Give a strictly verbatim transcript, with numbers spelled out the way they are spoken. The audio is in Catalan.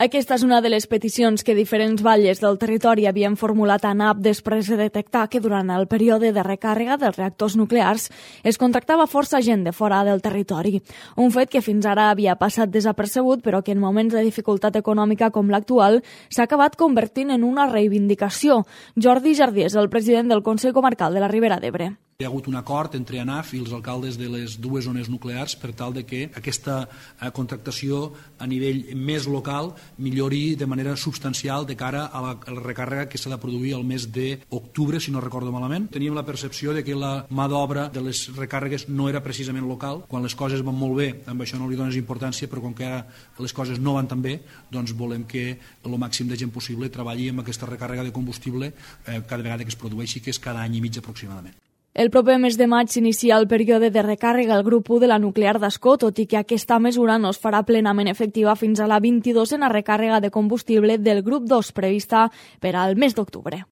Aquesta és una de les peticions que diferents batlles del territori havien formulat a N A P després de detectar que durant el període de recàrrega dels reactors nuclears es contractava força gent de fora del territori. Un fet que fins ara havia passat desapercebut, però que en moments de dificultat econòmica com l'actual s'ha acabat convertint en una reivindicació. Jordi Jardí és el president del Consell Comarcal de la Ribera d'Ebre. Hi ha hagut un acord entre A N A F i els alcaldes de les dues zones nuclears per tal de que aquesta contractació a nivell més local millori de manera substancial de cara a la, a la recàrrega que s'ha de produir al mes d'octubre, si no recordo malament. Teníem la percepció de que la mà d'obra de les recàrregues no era precisament local. Quan les coses van molt bé, amb això no li dones importància, però com que ara les coses no van tan bé, doncs volem que el màxim de gent possible treballi amb aquesta recàrrega de combustible eh, cada vegada que es produeixi, que és cada any i mig aproximadament. El proper mes de maig s'inicia el període de recàrrega al grup u de la nuclear d'Ascó, tot i que aquesta mesura no es farà plenament efectiva fins a la vint-i-dosena recàrrega de combustible del grup dos prevista per al mes d'octubre.